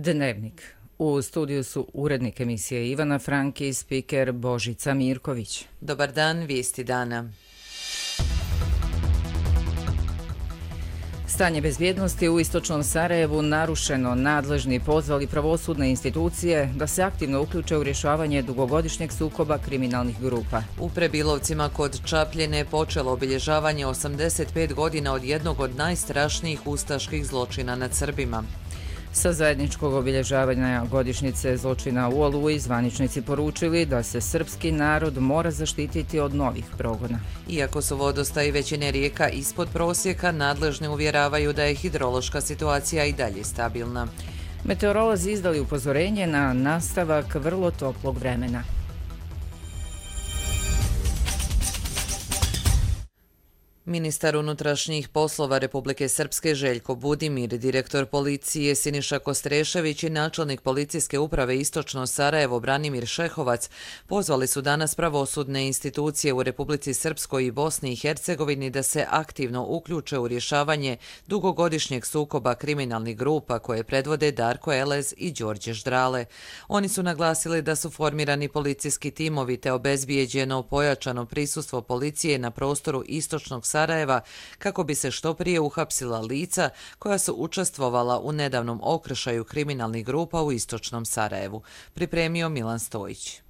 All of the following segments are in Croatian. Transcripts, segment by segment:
Dnevnik. U studiju su urednik emisije Ivana Franki i spiker Božica Mirković. Dobar dan, vijesti dana. Stanje bezbjednosti u istočnom Sarajevu narušeno. Nadležni pozvali pravosudne institucije da se aktivno uključe u rješavanje dugogodišnjeg sukoba kriminalnih grupa. U Prebilovcima kod Čapljine počelo obilježavanje 85 godina od jednog od najstrašnijih ustaških zločina nad Srbima. Sa zajedničkog obilježavanja godišnjice zločina u Oluji zvaničnici poručili da se srpski narod mora zaštititi od novih progona. Iako su vodostaji većine rijeka ispod prosjeka, nadležni uvjeravaju da je hidrološka situacija i dalje stabilna. Meteorolozi izdali upozorenje na nastavak vrlo toplog vremena. Ministar unutrašnjih poslova Republike Srpske Željko Budimir, direktor policije Siniša Kostrešević i načelnik policijske uprave Istočno Sarajevo Branimir Šehovac pozvali su danas pravosudne institucije u Republici Srpskoj i Bosni i Hercegovini da se aktivno uključe u rješavanje dugogodišnjeg sukoba kriminalnih grupa koje predvode Darko Elez i Đorđe Ždrale. Oni su naglasili da su formirani policijski timovi te obezbijeđeno pojačano prisustvo policije na prostoru Istočnog Sarajeva kako bi se što prije uhapsila lica koja su učestvovala u nedavnom okršaju kriminalnih grupa u Istočnom Sarajevu. Pripremio Milan Stojić.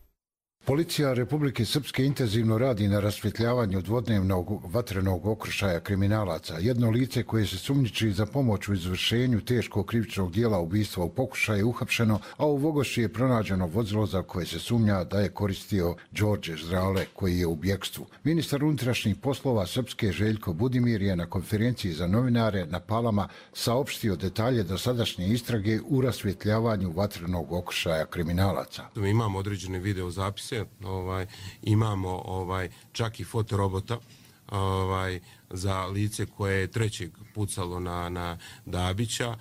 Policija Republike Srpske intenzivno radi na rasvjetljavanju dvodnevnog vatrenog okršaja kriminalaca. Jedno lice koje se sumnjiči za pomoć u izvršenju teškog krivičnog dijela ubistva u pokušaju je uhapšeno, a u Vogošći je pronađeno vozilo za koje se sumnja da je koristio Đorđe Ždrale koji je u bjegstvu. Ministar unutrašnjih poslova Srpske Željko Budimir je na konferenciji za novinare na Palama saopštio detalje dosadašnje istrage u rasvjetljavanju vatrenog okršaja kriminalaca. Imamo određene video zapise. Imamo čak i fotorobota za lice koje je trećeg pucalo na Dabića.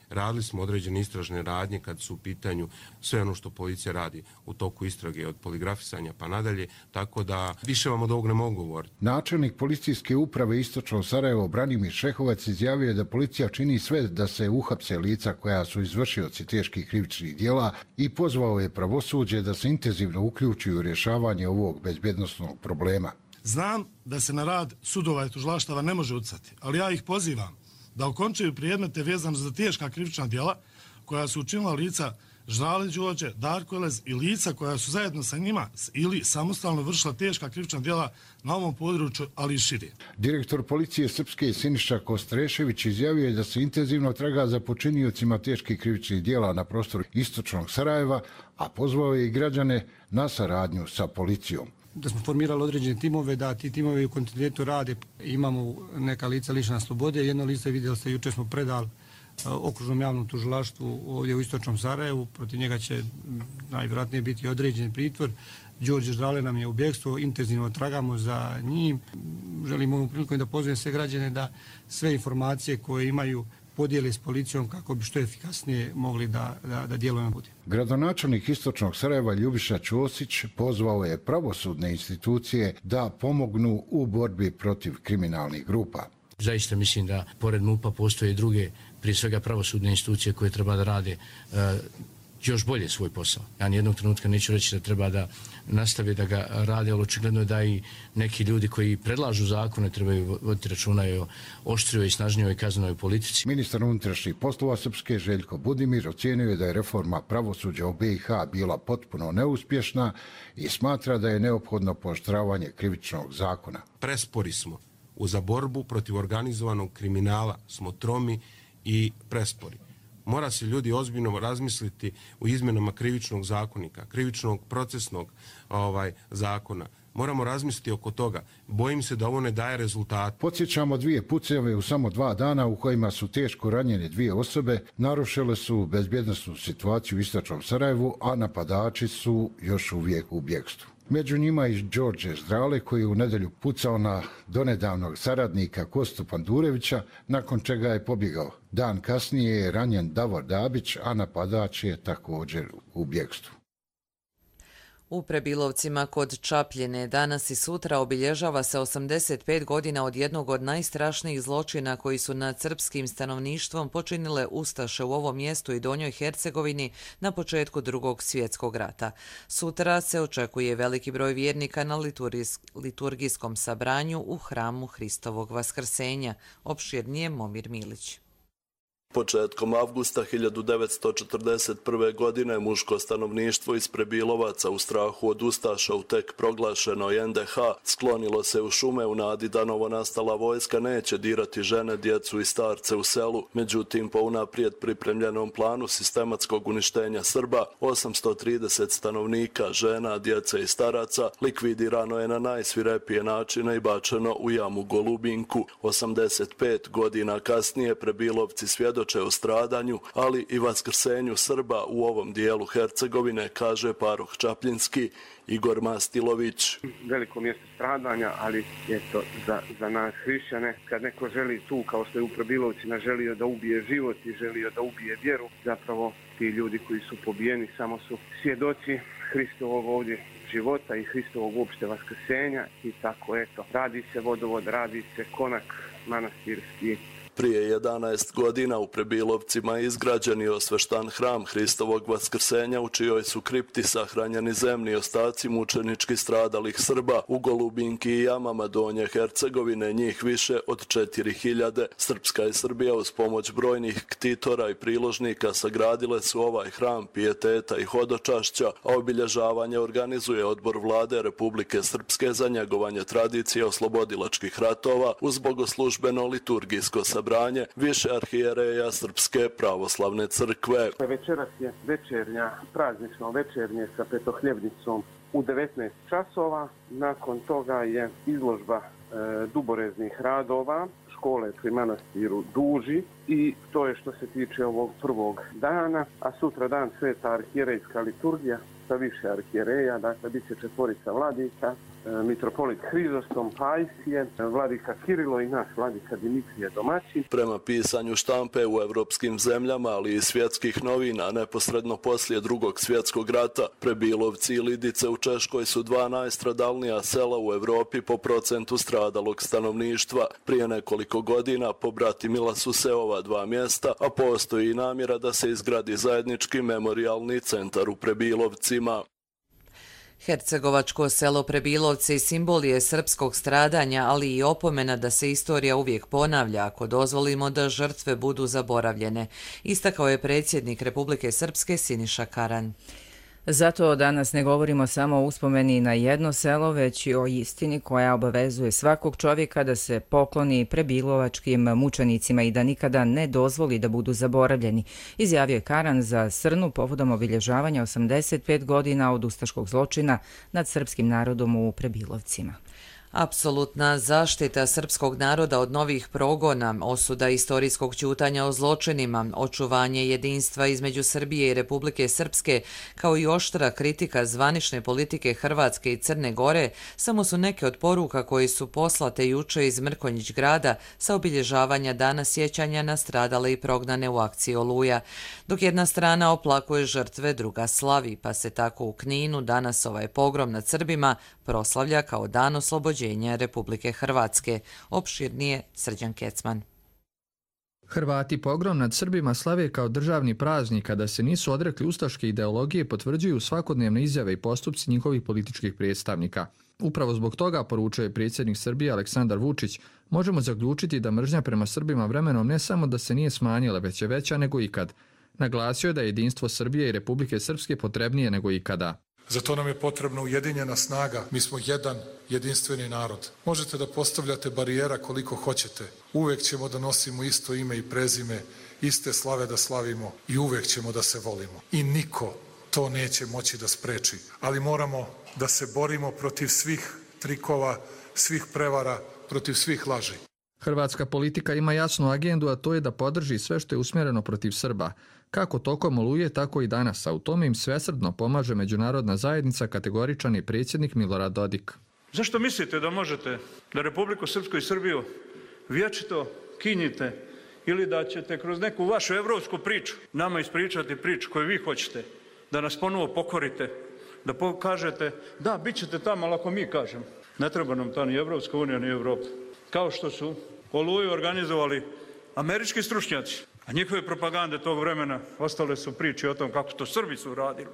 Radili smo određene istražne radnje kad su u pitanju sve ono što policija radi u toku istrage od poligrafisanja pa nadalje, tako da više vam od ovog ne mogu govoriti. Načelnik policijske uprave Istočno Sarajevo Branimir Šehovac izjavio je da policija čini sve da se uhapse lica koja su izvršioci teških krivičnih djela i pozvao je pravosuđe da se intenzivno uključi u rješavanje ovog bezbjednosnog problema. Znam da se na rad sudova i tužilaštava ne može utjecati, ali ja ih pozivam da okončaju predmete vezano za teška krivična djela koja su učinila lica Ždrale Đorđe, Darko Elez i lica koja su zajedno sa njima ili samostalno vršila teška krivična djela na ovom području, ali i šire. Direktor policije Srpske Siniša Kostrešević izjavio je da se intenzivno traga za počiniocima teških krivičnih djela na prostoru Istočnog Sarajeva, a pozvao je i građane na saradnju sa policijom. Da smo formirali određene timove, da ti timovi u kontinuitetu rade. Imamo neka lica lišena slobode. Jedno lice, vidjeli ste, jučer smo predali okružnom javnom tužilaštvu ovdje u Istočnom Sarajevu. Protiv njega će najvjerojatnije biti određen pritvor. Đorđe Ždrale nam je u bjegstvu, intenzivno tragamo za njim. Želim ovom prilikom da pozovem sve građane da sve informacije koje imaju podijeli s policijom kako bi što efikasnije mogli da djelujemo bude. Gradonačelnik Istočnog Sarajeva Ljubiša Ćosić pozvao je pravosudne institucije da pomognu u borbi protiv kriminalnih grupa. Zaista mislim da pored MUP-a postoje i druge, prije svega pravosudne institucije koje treba da rade još bolje svoj posao. Ja nijednog trenutka neću reći da treba da nastave da ga rade, ali očigledno je da i neki ljudi koji predlažu zakone trebaju voditi računa o oštrijoj i snažnijoj kaznenoj politici. Ministar unutrašnjih poslova Srpske Željko Budimir ocijenio je da je reforma pravosuđa u BiH bila potpuno neuspješna i smatra da je neophodno pooštravanje krivičnog zakona. Prespori smo. Za borbu protiv organizovanog kriminala smo tromi i prespori. Mora se ljudi ozbiljno razmisliti u izmjenama krivičnog zakonika, krivičnog procesnog zakona. Moramo razmisliti oko toga. Bojim se da ovo ne daje rezultat. Podsjećamo 2 puceve u samo 2 dana u kojima su teško ranjene 2 osobe, narušile su bezbjednosnu situaciju u Istočnom Sarajevu, a napadači su još uvijek u bjegstvu. Među njima i Đorđe Ždrale koji je u nedjelju pucao na donedavnog saradnika Kostu Pandurevića, nakon čega je pobjegao. Dan kasnije je ranjen Davor Dabić, a napadač je također u bjegstvu. U Prebilovcima kod Čapljine danas i sutra obilježava se 85 godina od jednog od najstrašnijih zločina koji su nad srpskim stanovništvom počinile ustaše u ovom mjestu i Donjoj Hercegovini na početku Drugog svjetskog rata. Sutra se očekuje veliki broj vjernika na liturgijskom sabranju u hramu Hristovog Vaskrsenja. Opširnije Momir Milić. Početkom avgusta 1941. godine muško stanovništvo iz Prebilovaca u strahu od ustaša u tek proglašenoj NDH sklonilo se u šume u nadi da novonastala vojska neće dirati žene, djecu i starce u selu. Međutim, po unaprijed pripremljenom planu sistematskog uništenja Srba, 830 stanovnika, žena, djece i staraca likvidirano je na najsvirepije načine i bačeno u jamu Golubinku. 85 godina kasnije Prebilovci svjedoče o stradanju, ali i vaskrsenju Srba u ovom dijelu Hercegovine, kaže paroh Čapljinski Igor Mastilović. Veliko mjesto stradanja, ali eto za nas hrišćane, kad neko želi tu, kao što je u Prebilovcima, želio da ubije život i želio da ubije vjeru, zapravo ti ljudi koji su pobijeni samo su svjedoci Hristovog ovdje života i Hristovog uopšte vaskrsenja i tako eto. Radi se vodovod, radi se konak manastirski. Prije 11 godina u Prebilovcima je izgrađen i osveštan hram Hristovog Vaskrsenja u čijoj su kripti sahranjeni zemni ostaci mučenički stradalih Srba. U Golubinki i jamama Donje Hercegovine njih više od 4000. Srpska i Srbija uz pomoć brojnih ktitora i priložnika sagradile su ovaj hram pijeteta i hodočašća, a obilježavanje organizuje Odbor Vlade Republike Srpske za njegovanje tradicije oslobodilačkih ratova uz bogoslužbeno liturgijsko sabranju više arhijereja Srpske pravoslavne crkve. Večeras je večernja, praznično večernje sa petohljebnicom u 19 časova. Nakon toga je izložba duboreznih radova škole pri manastiru Duži i to je što se tiče ovog prvog dana, a sutra dan sveta arhijerejska liturgija sa više arhijereja, dakle bit će 4 vladika, mitropolit Hrizostom Pajsije, vladika Kirilo i naš vladika Dimitrije domaćin. Prema pisanju štampe u evropskim zemljama, ali i svjetskih novina, neposredno poslije Drugog svjetskog rata, Prebilovci i Lidice u Češkoj su 2 najstradalnija sela u Evropi po procentu stradalog stanovništva. Prije nekoliko godina pobratimila su se ova 2 mjesta, a postoji i namjera da se izgradi zajednički memorijalni centar u Prebilovcima. Hercegovačko selo Prebilovci simbol je srpskog stradanja, ali i opomena da se istorija uvijek ponavlja ako dozvolimo da žrtve budu zaboravljene, istakao je predsjednik Republike Srpske Siniša Karan. Zato danas ne govorimo samo o uspomeni na jedno selo, već i o istini koja obavezuje svakog čovjeka da se pokloni prebilovačkim mučenicima i da nikada ne dozvoli da budu zaboravljeni, izjavio je Karan za Srnu povodom obilježavanja 85 godina od ustaškog zločina nad srpskim narodom u Prebilovcima. Apsolutna zaštita srpskog naroda od novih progona, osuda istorijskog ćutanja o zločinima, očuvanje jedinstva između Srbije i Republike Srpske, kao i oštra kritika zvanične politike Hrvatske i Crne Gore, samo su neke od poruka koje su poslate juče iz Mrkonjić grada sa obilježavanja dana sjećanja na stradale i prognane u akciji Oluja. Dok jedna strana oplakuje žrtve, druga slavi, pa se tako u Kninu danas ovaj pogrom nad Srbima proslavlja kao dan oslobođenja Republike Hrvatske. Opširnije Srđan Kecman. Hrvati pogrom nad Srbima slave kao državni praznik, kada se nisu odrekli ustaške ideologije, potvrđuju svakodnevne izjave i postupci njihovih političkih predstavnika. Upravo zbog toga, poručuje predsjednik Srbije Aleksandar Vučić, možemo zaključiti da mržnja prema Srbima vremenom ne samo da se nije smanjila, već je veća nego ikad. Naglasio je da je jedinstvo Srbije i Republike Srpske potrebnije nego ikada. Za to nam je potrebna ujedinjena snaga. Mi smo jedan jedinstveni narod. Možete da postavljate barijera koliko hoćete. Uvek ćemo da nosimo isto ime i prezime, iste slave da slavimo i uvek ćemo da se volimo. I niko to neće moći da spreči. Ali moramo da se borimo protiv svih trikova, svih prevara, protiv svih laži. Hrvatska politika ima jasnu agendu, a to je da podrži sve što je usmjereno protiv Srba. Kako tokom Oluje, tako i danas, a u tome im svesrdno pomaže međunarodna zajednica, kategoričan je predsjednik Milorad Dodik. Zašto mislite da možete da Republiku Srpsku i Srbiju vječito kinjite ili da ćete kroz neku vašu evropsku priču nama ispričati priču koju vi hoćete, da nas ponovo pokorite, da pokažete da, bit ćete tamo, ali ako mi kažemo. Ne treba nam ta ni Evropska unija, ni Evropa. Kao što su Oluju organizovali američki stručnjaci, a njihove propagande tog vremena ostale su priče o tom kako to Srbi su radili.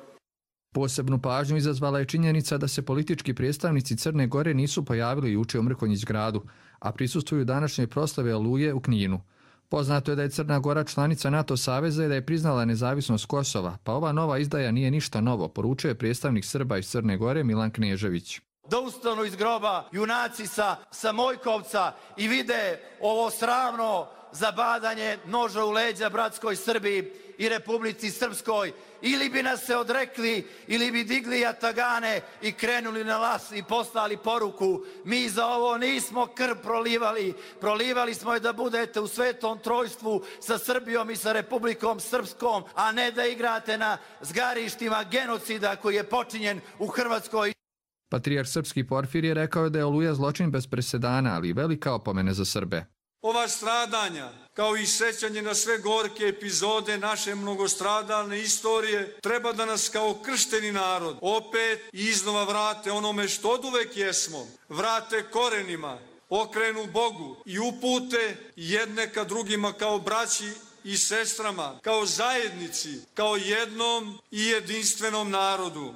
Posebnu pažnju izazvala je činjenica da se politički predstavnici Crne Gore nisu pojavili juče u Mrkonjić gradu, a prisustvuju današnjoj proslave Oluje u Kninu. Poznato je da je Crna Gora članica NATO saveza i da je priznala nezavisnost Kosova, pa ova nova izdaja nije ništa novo, poručuje predstavnik Srba iz Crne Gore Milan Knežević. Da ustanu iz groba junaci sa Mojkovca i vide ovo sramno zabadanje noža u leđa bratskoj Srbiji i Republici Srpskoj, ili bi nas se odrekli, ili bi digli jatagane i krenuli na las i poslali poruku: mi za ovo nismo krv prolivali smo je da budete u svetom trojstvu sa Srbijom i sa Republikom Srpskom, a ne da igrate na zgarištima genocida koji je počinjen u Hrvatskoj. Patrijarh srpski Porfirije rekao je da je Oluja zločin bez presedana, ali i velika opomena za Srbe. Ova stradanja, kao i sećanje na sve gorke epizode naše mnogostradalne istorije, treba da nas kao kršteni narod opet i iznova vrate onome što oduvek jesmo, vrate korenima, okrenu Bogu i upute jedne ka drugima kao braći i sestrama, kao zajednici, kao jednom i jedinstvenom narodu.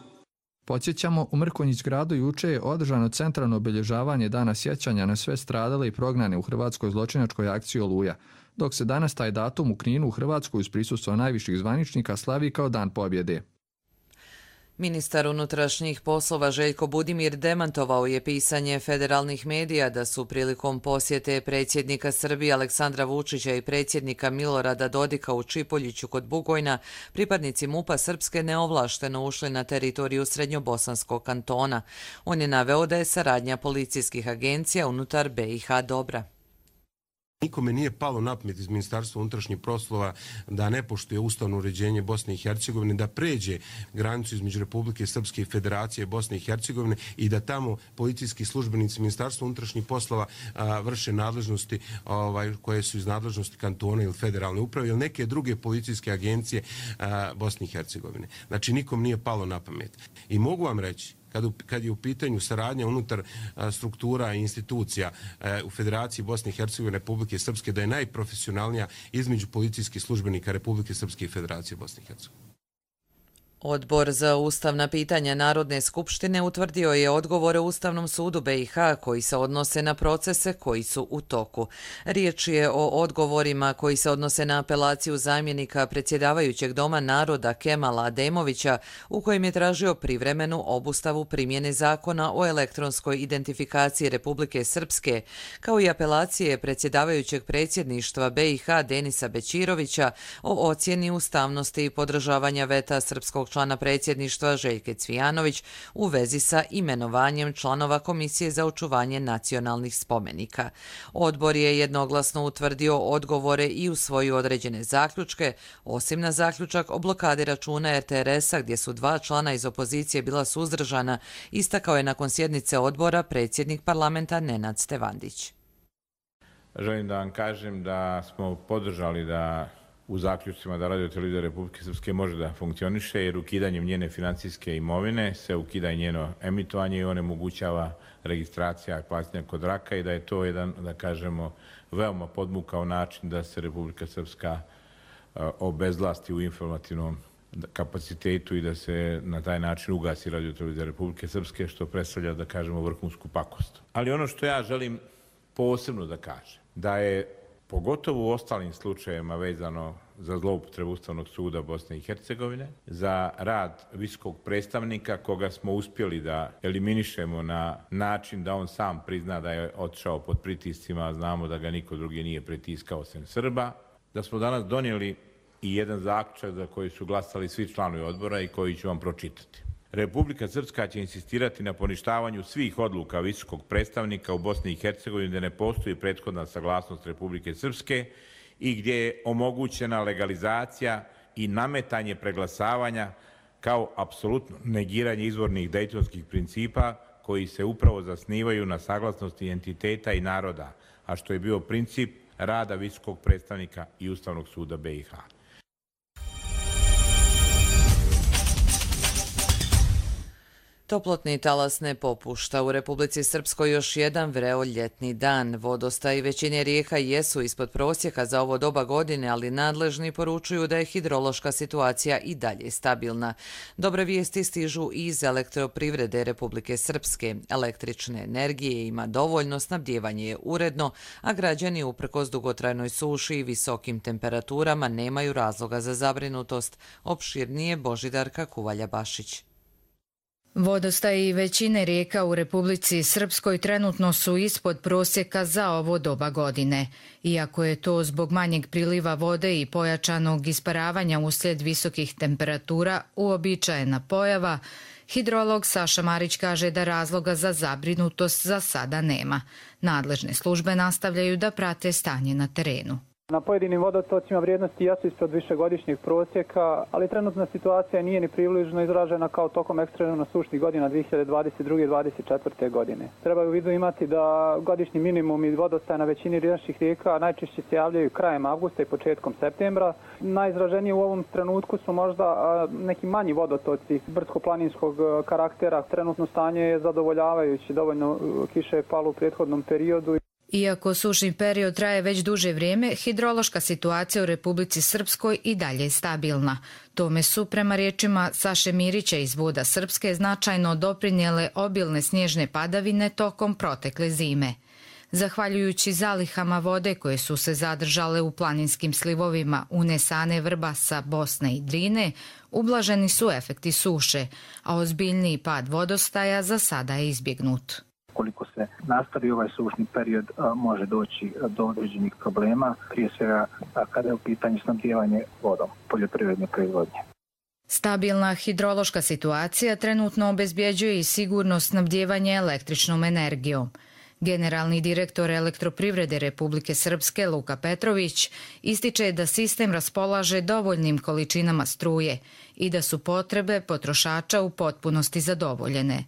Podsjećamo, u Mrkonjić gradu juče je održano centralno obilježavanje Dana sjećanja na sve stradale i prognane u hrvatskoj zločinačkoj akciji Oluja, dok se danas taj datum u Kninu u Hrvatskoj uz prisustvo najviših zvaničnika slavi kao Dan pobjede. Ministar unutrašnjih poslova Željko Budimir demantovao je pisanje federalnih medija da su prilikom posjete predsjednika Srbije Aleksandra Vučića i predsjednika Milorada Dodika u Čipoljiću kod Bugojna pripadnici MUP-a Srpske neovlašteno ušli na teritoriju Srednjobosanskog kantona. On je naveo da je saradnja policijskih agencija unutar BiH dobra. Nikome nije palo na pamet iz Ministarstva unutrašnjih poslova da ne poštuje ustavno uređenje Bosne i Hercegovine, da pređe granicu između Republike Srpske i Federacije Bosne i Hercegovine i da tamo policijski službenici Ministarstva unutrašnjih poslova vrše nadležnosti koje su iz nadležnosti kantona ili federalne uprave ili neke druge policijske agencije Bosne i Hercegovine. Znači nikom nije palo na pamet. I mogu vam reći, kad je u pitanju saradnja unutar struktura i institucija u Federaciji Bosne i Hercegovine Republike Srpske, da je najprofesionalnija između policijskih službenika Republike Srpske i Federacije Bosne i Hercegovine. Odbor za ustavna pitanja Narodne skupštine utvrdio je odgovore Ustavnom sudu BiH koji se odnose na procese koji su u toku. Riječ je o odgovorima koji se odnose na apelaciju zamjenika predsjedavajućeg Doma naroda Kemala Ademovića u kojem je tražio privremenu obustavu primjene zakona o elektronskoj identifikaciji Republike Srpske, kao i apelacije predsjedavajućeg predsjedništva BiH Denisa Bećirovića o ocjeni ustavnosti i podržavanja veta srpskog člana predsjedništva Željke Cvijanović u vezi sa imenovanjem članova Komisije za očuvanje nacionalnih spomenika. Odbor je jednoglasno utvrdio odgovore i usvojio određene zaključke, osim na zaključak o blokadi računa RTRS-a gdje su 2 člana iz opozicije bila suzdržana, istakao je nakon sjednice odbora predsjednik parlamenta Nenad Stevandić. Želim da vam kažem da smo podržali da u zaključcima da Radio-televizija Republike Srpske može da funkcioniše, jer ukidanjem njene financijske imovine se ukida i njeno emitovanje i onemogućava registracija plaćanja kod raka i da je to jedan, da kažemo, veoma podmukao način da se Republika Srpska obezvlasti u informativnom kapacitetu i da se na taj način ugasi Radio-televizija Republike Srpske, što predstavlja, da kažemo, vrhunsku pakost. Ali ono što ja želim posebno da kažem, da je pogotovo u ostalim slučajevima vezano za zloupotrebu Ustavnog suda Bosne i Hercegovine, za rad visokog predstavnika koga smo uspjeli da eliminišemo na način da on sam prizna da je otišao pod pritiscima, a znamo da ga niko drugi nije pritiskao sem Srba, da smo danas donijeli i jedan zaključak za koji su glasali svi članovi odbora i koji ću vam pročitati. Republika Srpska će insistirati na poništavanju svih odluka visokog predstavnika u Bosni i Hercegovini gdje ne postoji prethodna saglasnost Republike Srpske i gdje je omogućena legalizacija i nametanje preglasavanja kao apsolutno negiranje izvornih dejtonskih principa koji se upravo zasnivaju na saglasnosti entiteta i naroda, a što je bio princip rada visokog predstavnika i Ustavnog suda BiH. Toplotni talas ne popušta. U Republici Srpskoj još jedan vreo ljetni dan. Vodostaji većine rijeka jesu ispod prosjeka za ovo doba godine, ali nadležni poručuju da je hidrološka situacija i dalje stabilna. Dobre vijesti stižu iz elektroprivrede Republike Srpske. Električne energije ima dovoljno, snabdijevanje je uredno, a građani uprkos dugotrajnoj suši i visokim temperaturama nemaju razloga za zabrinutost. Opširnije Božidarka Kuvalja-Bašić. Vodostaji većine rijeka u Republici Srpskoj trenutno su ispod prosjeka za ovo doba godine. Iako je to zbog manjeg priliva vode i pojačanog isparavanja uslijed visokih temperatura uobičajena pojava, hidrolog Saša Marić kaže da razloga za zabrinutost za sada nema. Nadležne službe nastavljaju da prate stanje na terenu. Na pojedinim vodotocima vrijednosti jesu ispod višegodišnjeg prosjeka, ali trenutna situacija nije ni približno izražena kao tokom ekstremno sušnih godina 2022-2024. godine. Treba u vidu imati da godišnji minimum i vodostaje na većini naših rijeka najčešće se javljaju krajem avgusta i početkom septembra. Najizraženije u ovom trenutku su možda neki manji vodotoci brdsko-planinskog karaktera. Trenutno stanje je zadovoljavajuće, dovoljno kiše je palo u prethodnom periodu. Iako sušni period traje već duže vrijeme, hidrološka situacija u Republici Srpskoj i dalje je stabilna. Tome su, prema riječima Saše Mirića iz Voda Srpske, značajno doprinijele obilne snježne padavine tokom protekle zime. Zahvaljujući zalihama vode koje su se zadržale u planinskim slivovima unesane Vrbasa, Bosne i Drine, ublaženi su efekti suše, a ozbiljniji pad vodostaja za sada je izbjegnut. Koliko se nastavi ovaj sušni period, može doći do određenih problema, prije svega kada je u pitanju snabdijevanje vodom poljoprivredne proizvodnje. Stabilna hidrološka situacija trenutno obezbjeđuje i sigurno snabdijevanje električnom energijom. Generalni direktor elektroprivrede Republike Srpske Luka Petrović ističe da sistem raspolaže dovoljnim količinama struje i da su potrebe potrošača u potpunosti zadovoljene.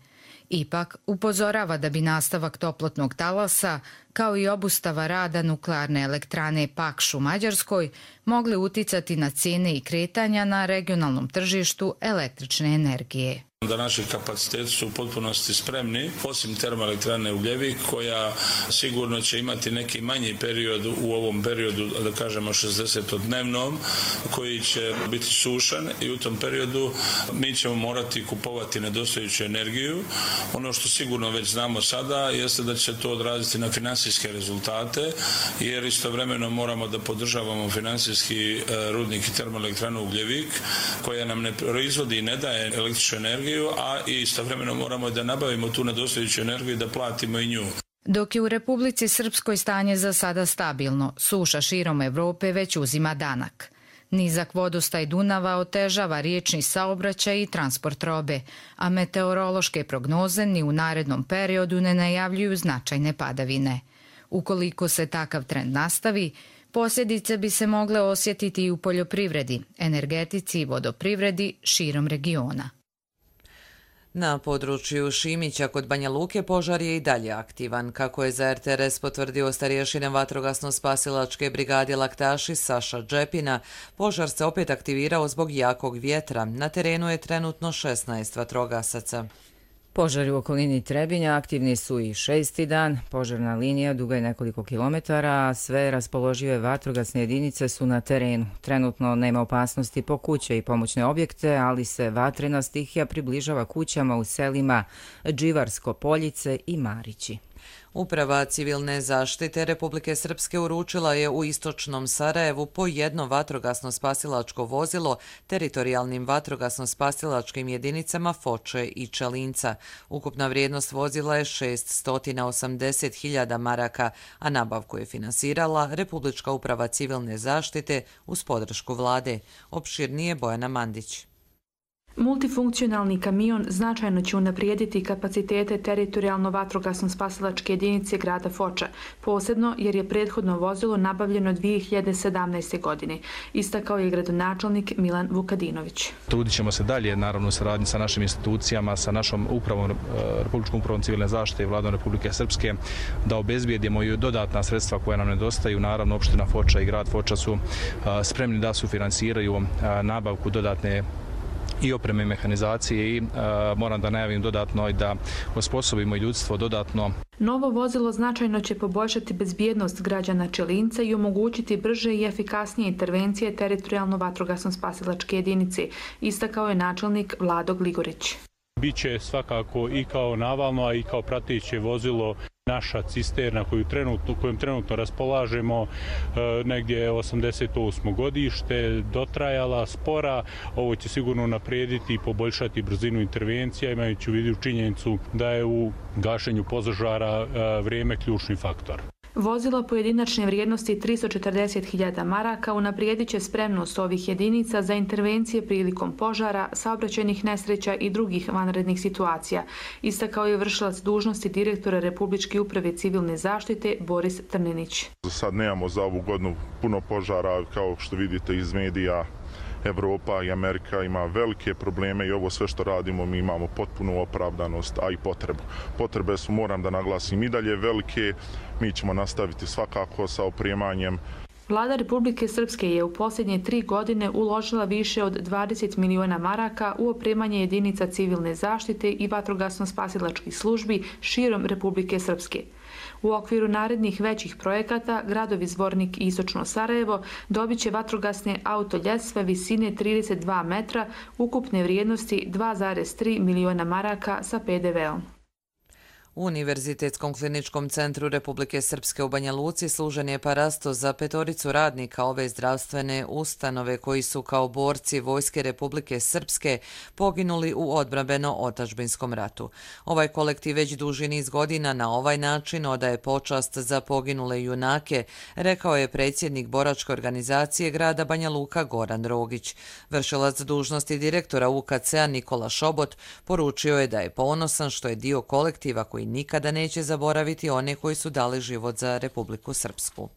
Ipak upozorava da bi nastavak toplotnog talasa, kao i obustava rada nuklearne elektrane Pakš u Mađarskoj, mogli uticati na cijene i kretanja na regionalnom tržištu električne energije. Da naši kapaciteti su u potpunosti spremni, osim termoelektrane Ugljevik, koja sigurno će imati neki manji period u ovom periodu, da kažemo 60-dnevnom, koji će biti sušan i u tom periodu mi ćemo morati kupovati nedostajuću energiju. Ono što sigurno već znamo sada jeste da će to odraziti na finansijske rezultate, jer istovremeno moramo da podržavamo finansijski rudnik i termoelektranu Ugljevik, koja nam ne proizvodi i ne daje električnu energiju, a istovremeno moramo da nabavimo tu nedostajuću energiju i da platimo i nju. Dok je u Republici Srpskoj stanje za sada stabilno, suša širom Evrope već uzima danak. Nizak vodostaj Dunava otežava riječni saobraćaj i transport robe, a meteorološke prognoze ni u narednom periodu ne najavljuju značajne padavine. Ukoliko se takav trend nastavi, posljedice bi se mogle osjetiti i u poljoprivredi, energetici i vodoprivredi širom regiona. Na području Šimića kod Banja Luke požar je i dalje aktivan. Kako je za RTRS potvrdio starješina vatrogasno-spasilačke brigade Laktaši Saša Džepina, požar se opet aktivirao zbog jakog vjetra. Na terenu je trenutno 16 vatrogasaca. Požari u okolini Trebinja aktivni su i 6. dan. Požarna linija duga je nekoliko kilometara, a sve raspoložive vatrogasne jedinice su na terenu. Trenutno nema opasnosti po kuće i pomoćne objekte, ali se vatrena stihija približava kućama u selima Dživarsko Poljice i Marići. Uprava civilne zaštite Republike Srpske uručila je u istočnom Sarajevu po jedno vatrogasno-spasilačko vozilo teritorijalnim vatrogasno-spasilačkim jedinicama Foče i Čelinca. Ukupna vrijednost vozila je 680.000 maraka, a nabavku je finansirala Republička uprava civilne zaštite uz podršku vlade. Opširnije Bojana Mandić. Multifunkcionalni kamion značajno će unaprijediti kapacitete teritorijalno vatrogasno-spasilačke jedinice grada Foča, posebno jer je prethodno vozilo nabavljeno 2017. godine, istakao je gradonačelnik Milan Vukadinović. Trudit ćemo se dalje, naravno u saradnji sa našim institucijama, sa našom upravom, Republičkom upravom civilne zaštite i Vladom Republike Srpske, da obezbijedimo i dodatna sredstva koja nam nedostaju. Naravno, opština Foča i grad Foča su spremni da sufinansiraju nabavku dodatne i opreme mehanizacije i moram da najavim dodatno i da osposobimo i ljudstvo dodatno. Novo vozilo značajno će poboljšati bezbjednost građana Čelinca i omogućiti brže i efikasnije intervencije teritorijalno vatrogasno-spasilačke jedinice, istakao je načelnik Vlado Gligorić. Biće svakako i kao navalno, a i kao prateće vozilo naša cisterna kojom trenutno raspolažemo, negdje 88. godište, dotrajala, spora. Ovo će sigurno naprijediti i poboljšati brzinu intervencija, imajući u vidu činjenicu da je u gašenju požara vrijeme ključni faktor. Vozilo pojedinačne vrijednosti 340.000 maraka unaprijedit će spremnost ovih jedinica za intervencije prilikom požara, saobraćajnih nesreća i drugih vanrednih situacija, istakao je vršilac dužnosti direktora Republičke uprave civilne zaštite Boris Trninić. Za sad nemamo za ovu godinu puno požara, kao što vidite iz medija. Evropa i Amerika ima velike probleme i ovo sve što radimo mi imamo potpunu opravdanost, a i potrebu. Potrebe su, moram da naglasim, i dalje velike. Mi ćemo nastaviti svakako sa opremanjem. Vlada Republike Srpske je u posljednje 3 godine uložila više od 20 miliona maraka u opremanje jedinica civilne zaštite i vatrogasno-spasilačkih službi širom Republike Srpske. U okviru narednih većih projekata, gradovi Zvornik i Istočno Sarajevo dobit će vatrogasne autoljestve visine 32 metra, ukupne vrijednosti 2,3 miliona maraka sa PDV-om. U Univerzitetskom kliničkom centru Republike Srpske u Banja Luci služen je parasto za 5 radnika ove zdravstvene ustanove koji su kao borci Vojske Republike Srpske poginuli u odbrambeno-otadžbinskom ratu. Ovaj kolektiv već duži niz godina na ovaj način odaje počast za poginule junake, rekao je predsjednik boračke organizacije grada Banja Luka Goran Rogić. Vršilac dužnosti direktora UKC-a Nikola Šobot poručio je da je ponosan što je dio kolektiva koji nikada neće zaboraviti one koji su dali život za Republiku Srpsku.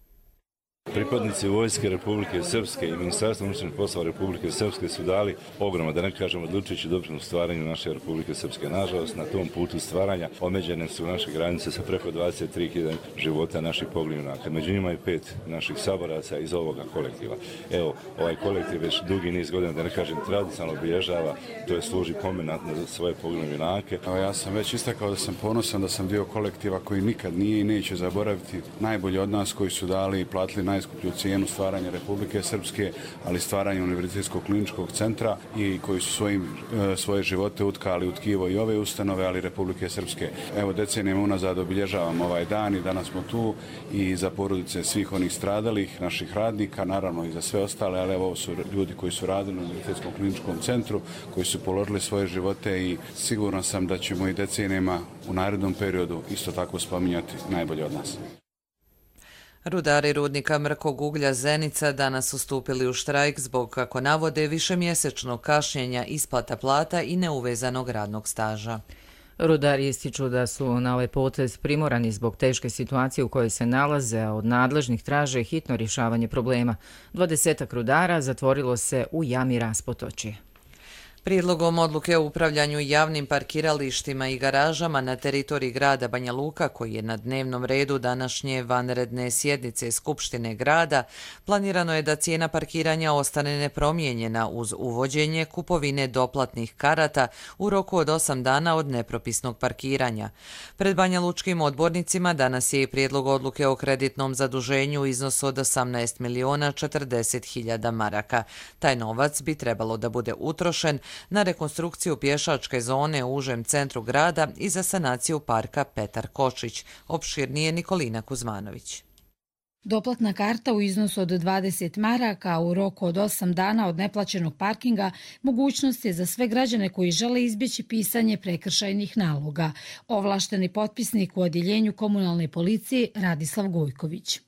Pripadnici Vojske Republike Srpske i Ministarstva unutrašnjih poslova Republike Srpske su dali ogromno, da ne kažemo odlučujući doprinos stvaranju naše Republike Srpske. Nažalost, na tom putu stvaranja omeđene su naše granice sa preko 23.000 života naših poginulih junaka. Među njima je 5 naših saboraca iz ovoga kolektiva. Evo, ovaj kolektiv već dugi niz godina, da ne kažem tradicionalno obilježava, to je služi pomenat na svoje poginule junake. Ja sam već istakao da sam ponosan da sam dio kolektiva koji nikad nije i neće zaboraviti najbolji od nas koji su dali i platili najskuplju cijenu stvaranja Republike Srpske, ali stvaranje Univerzitetskog kliničkog centra i koji su svoje živote utkali u tkivo i ove ustanove, ali Republike Srpske. Evo, decenijama unazad obilježavamo ovaj dan i danas smo tu i za porodice svih onih stradalih, naših radnika, naravno i za sve ostale, ali evo, ovo su ljudi koji su radili u Univerzitetskom kliničkom centru, koji su položili svoje živote i siguran sam da ćemo i decenijama u narednom periodu isto tako spominjati najbolje od nas. Rudari rudnika mrkog uglja Zenica danas su stupili u štrajk zbog, kako navode, višemjesečnog kašnjenja isplata plata i neuvezanog radnog staža. Rudari ističu da su na ovaj potez primorani zbog teške situacije u kojoj se nalaze, a od nadležnih traže hitno rješavanje problema. 20 rudara zatvorilo se u jami Raspotočje. Prijedlogom odluke o upravljanju javnim parkiralištima i garažama na teritoriji grada Banja Luka, koji je na dnevnom redu današnje vanredne sjednice Skupštine grada, planirano je da cijena parkiranja ostane nepromijenjena uz uvođenje kupovine doplatnih karata u roku od 8 dana od nepropisnog parkiranja. Pred Banja Lučkim odbornicima danas je i prijedlog odluke o kreditnom zaduženju u iznosu od 18.040.000 maraka. Taj novac bi trebalo da bude utrošen na rekonstrukciju pješačke zone u užem centru grada i za sanaciju parka Petar Kočić, opširnije Nikolina Kuzmanović. Doplatna karta u iznosu od 20 maraka u roku od 8 dana od neplaćenog parkinga mogućnost je za sve građane koji žele izbjeći pisanje prekršajnih naloga. Ovlašteni potpisnik u odjeljenju komunalne policije Radislav Gojković.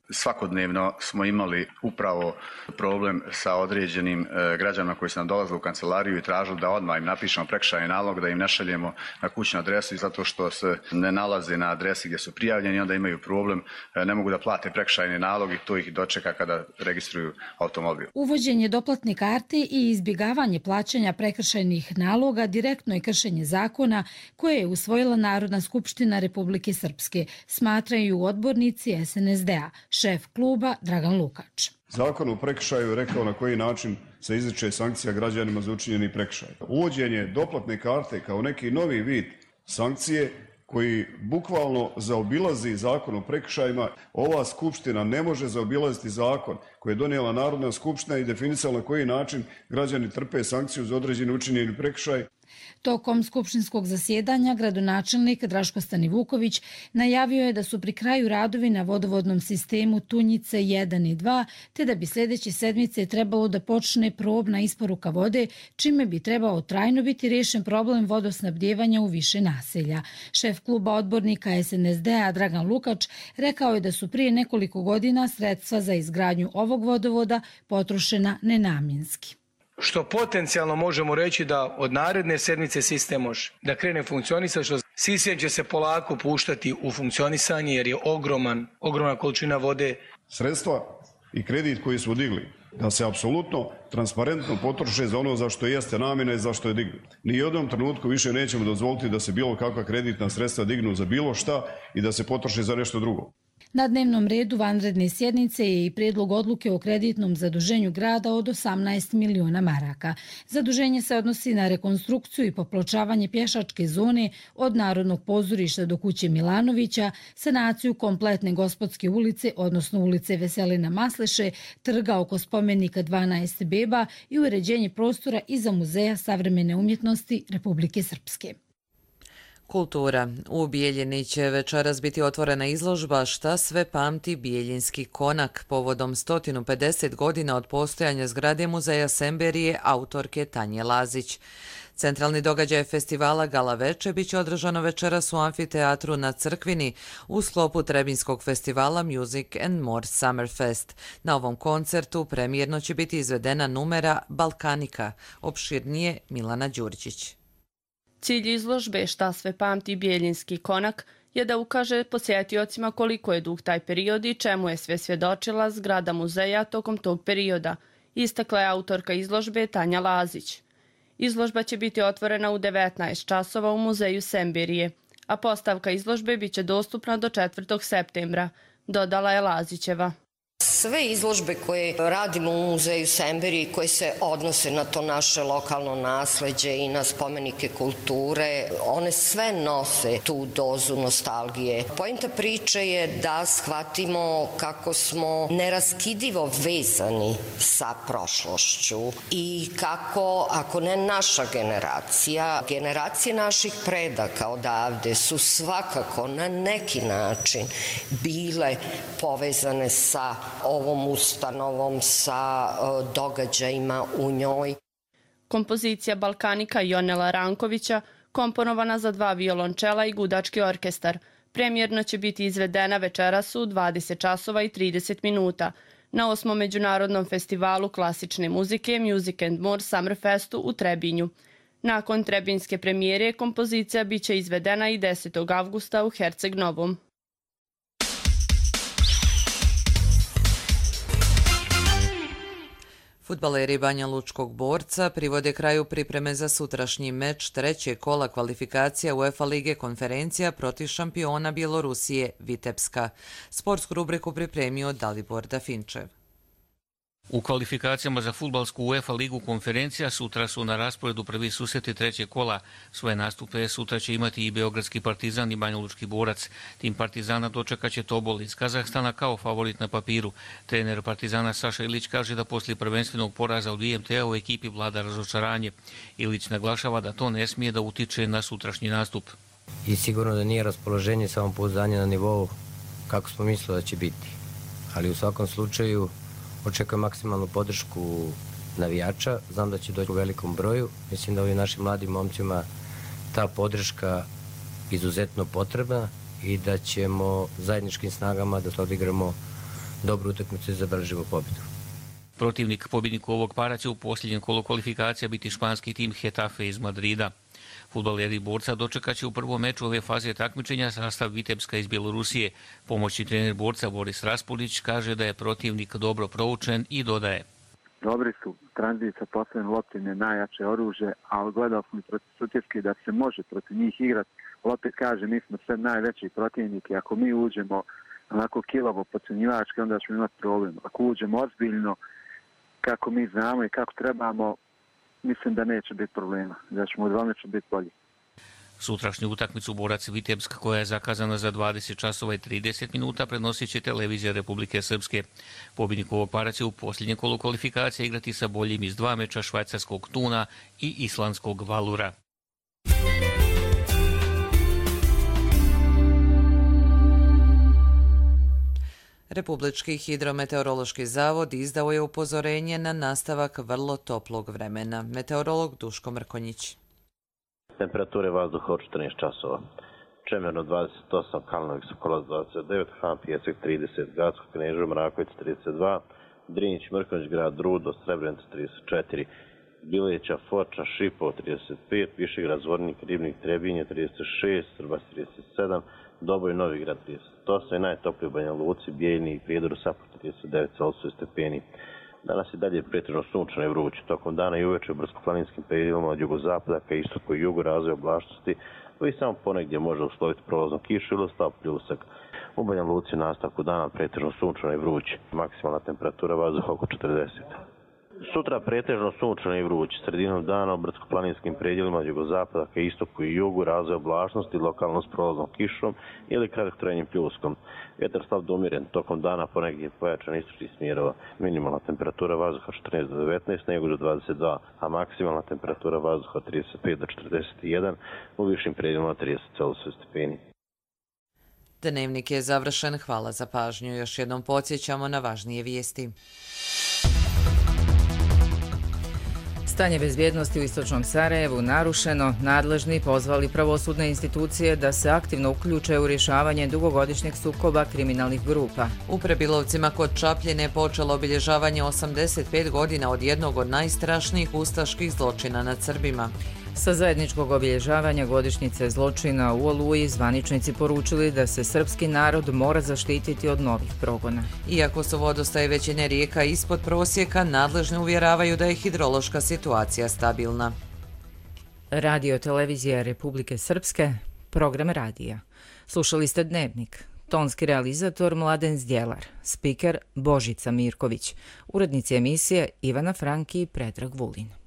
Svakodnevno smo imali upravo problem sa određenim građanima koji su nam dolazili u kancelariju i tražili da odmah im napišemo prekršajni nalog, da im ne šaljemo na kućnu adresu i zato što se ne nalaze na adresi gdje su prijavljeni, onda imaju problem, ne mogu da plate prekršajni nalog i to ih dočeka kada registruju automobil. Uvođenje doplatne karte i izbjegavanje plaćanja prekršajnih naloga direktno je kršenje zakona koje je usvojila Narodna skupština Republike Srpske, smatraju odbornici SNSD-a. šef kluba Dragan Lukač. Zakon o prekršaju je rekao na koji način se izriče sankcija građanima za učinjeni prekršaj. Uvođenje doplatne karte kao neki novi vid sankcije koji bukvalno zaobilazi zakon o prekršajima. Ova skupština ne može zaobilaziti zakon koji je donijela Narodna skupština i definisala na koji način građani trpe sankciju za određeni učinjeni prekršaj. Tokom skupštinskog zasjedanja gradonačelnik Draško Stanivuković najavio je da su pri kraju radovi na vodovodnom sistemu Tunjice 1 i 2, te da bi sljedeće sedmice trebalo da počne probna isporuka vode, čime bi trebao trajno biti riješen problem vodosnabdjevanja u više naselja. Šef kluba odbornika SNSD-a Dragan Lukač rekao je da su prije nekoliko godina sredstva za izgradnju ovog vodovoda potrošena nenamjenski. Što potencijalno možemo reći da od naredne sedmice sistem može da krene funkcionisati, što sistem će se polako puštati u funkcionisanje jer je ogromna količina vode. Sredstva i kredit koji smo digli da se apsolutno transparentno potroše za ono za što jeste namjena i za što je dignut. Ni u jednom trenutku više nećemo dozvoliti da se bilo kakva kreditna sredstva dignu za bilo šta i da se potroše za nešto drugo. Na dnevnom redu vanredne sjednice je i prijedlog odluke o kreditnom zaduženju grada od 18 miliona maraka. Zaduženje se odnosi na rekonstrukciju i popločavanje pješačke zone od Narodnog pozorišta do kuće Milanovića, sanaciju kompletne Gospodske ulice, odnosno ulice Veselina Masleše, trga oko spomenika 12 beba i uređenje prostora iza Muzeja savremene umjetnosti Republike Srpske. Kultura. U Bijeljini će večeras biti otvorena izložba Šta sve pamti Bijeljinski konak povodom 150 godina od postojanja zgrade Muzeja Semberije autorke Tanje Lazić. Centralni događaj festivala Gala Veče biće održano večeras u amfiteatru na Crkvini u sklopu Trebinskog festivala Music and More Summerfest. Na ovom koncertu premijerno će biti izvedena numera Balkanika, opširnije Milana Đurđić. Cilj izložbe Šta sve pamti Bijeljinski konak je da ukaže posjetiocima koliko je dug taj period i čemu je sve svjedočila zgrada muzeja tokom tog perioda, istakla je autorka izložbe Tanja Lazić. Izložba će biti otvorena u 19 časova u muzeju Semberije, a postavka izložbe biće dostupna do 4. septembra, dodala je Lazićeva. Sve izložbe koje radimo u muzeju Semberije koje se odnose na to naše lokalno nasleđe i na spomenike kulture, one sve nose tu dozu nostalgije. Poenta priče je da shvatimo kako smo neraskidivo vezani sa prošlošću i kako, ako ne naša generacija, generacije naših predaka odavde su svakako na neki način bile povezane sa ovom ustanovom, sa događajima u njoj. Kompozicija Balkanika Jonela Rankovića, komponovana za 2 violončela i gudački orkestar, premijerno će biti izvedena večeras u 20 časova i 30 minuta na 8. Međunarodnom festivalu klasične muzike Music and More Summerfestu u Trebinju. Nakon trebinske premijere kompozicija biće izvedena i 10. avgusta u Herceg Novom. Fudbaleri Banja Lučkog Borca privode kraju pripreme za sutrašnji meč 3. kola kvalifikacija UEFA Lige konferencija protiv šampiona Bjelorusije Vitebska. Sportsku rubriku pripremio Dalibor Dafinčev. U kvalifikacijama za fudbalsku UEFA ligu konferencija sutra su na rasporedu prvi susreti 3. kola. Svoje nastupe sutra će imati i Beogradski Partizan i Banja Lučki Borac. Tim Partizana dočekaće Tobol iz Kazahstana kao favorit na papiru. Trener Partizana Saša Ilić kaže da poslije prvenstvenog poraza od IMT-a u ekipi vlada razočaranje. Ilić naglašava da to ne smije da utiče na sutrašnji nastup. I sigurno da nije raspoloženje, samopouzdanje na nivou kako smo mislili da će biti. Ali u svakom slučaju očekujem maksimalnu podršku navijača, znam da će doći u velikom broju. Mislim da ovim našim mladim momcima ta podrška izuzetno potrebna i da ćemo zajedničkim snagama da odigramo dobru utakmicu i zabeležimo pobjedu. Protivnik pobjedniku ovog para će u posljednjem kolu kvalifikacija biti španski tim Getafe iz Madrida. Fudbaleri Borca dočekat će u prvom meču ove faze takmičenja sastav Vitebska iz Bjelorusije. Pomoćni trener Borca Boris Raspudić kaže da je protivnik dobro proučen i dodaje. Dobri su, tranzit sa posljednjim loptom je najjače oružje, ali gledao smo i protiv Sutjeske da se može protiv njih igrati. Opet kaže, mi smo sve najveći protivnik i ako mi uđemo onako kilavo podcjenjivački, onda ćemo imati problem. Ako uđemo ozbiljno, kako mi znamo i kako trebamo, mislim da neće biti problema, da ćemo odvalnično biti bolji. Sutrašnju utakmicu Borac Vitebsk, koja je zakazana za 20 časova i 30 minuta, prenosit će televizija Republike Srpske. Pobjednik ovog para će u posljednjem kolu kvalifikacije igrati sa boljim iz 2 meča švajcarskog Tuna i islandskog Valura. Republički hidrometeorološki zavod izdao je upozorenje na nastavak vrlo toplog vremena. Meteorolog Duško Mrkonjić. Temperature vazduha od 14 časova. Čemerno 28, Kalinović Sokolac 29, Han Pijesak 30, Gacko Kneževo Mraković 32, Drinjić Mrkonjić grad Rudo, Srebrenica 34, Bileća Foča Šipovo 35, Višegrad Zvornik Ribnik Trebinje 36, Srbas 37, Doboj Novigrad 38 i najtopliji u Banja Luci, Bijeljni i Prijedoru Sapor 39 Celsius stepeni. Danas je dalje pretežno sunčano i vruće. Tokom dana i uveče u brdsko-planinskim predelima od jugozapada ka istoku i jugu razvoja oblačnosti, koji samo ponegdje može usloviti prolaznu kišu ili slab pljusak. U Banja Luci nastavku dana pretežno sunčano i vruće. Maksimalna temperatura vazduha oko 40. Sutra pretežno sunčano i vruće. Sredinom dana u brdsko-planinskim predjelima od jugozapada ka istoku i jugu razvoja oblačnosti, lokalno s prolaznom kišom ili kratkotrajnim pljuskom. Vjetar slab do umjeren, tokom dana ponegdje pojačan istočnih smjerova. Minimalna temperatura vazduha 14 do 19, Negođe 22, a maksimalna temperatura vazduha 35 do 41, u višim predjelima 30 Celsius stepeni. Dnevnik je završen, hvala za pažnju. Još jednom podsjećamo na važnije vijesti. Stanje bezbjednosti u istočnom Sarajevu narušeno, nadležni pozvali pravosudne institucije da se aktivno uključe u rješavanje dugogodišnjeg sukoba kriminalnih grupa. U Prebilovcima kod Čapljine počelo obilježavanje 85 godina od jednog od najstrašnijih ustaških zločina nad Srbima. Sa zajedničkog obilježavanja godišnjice zločina u Oluji zvaničnici poručili da se srpski narod mora zaštititi od novih progona. Iako su vodostaje većine rijeka ispod prosjeka, nadležni uvjeravaju da je hidrološka situacija stabilna. Radio televizija Republike Srpske, program radija. Slušali ste Dnevnik. Tonski realizator Mladen Zdjelar, spiker Božica Mirković, urednici emisije Ivana Franki i Predrag Vulin.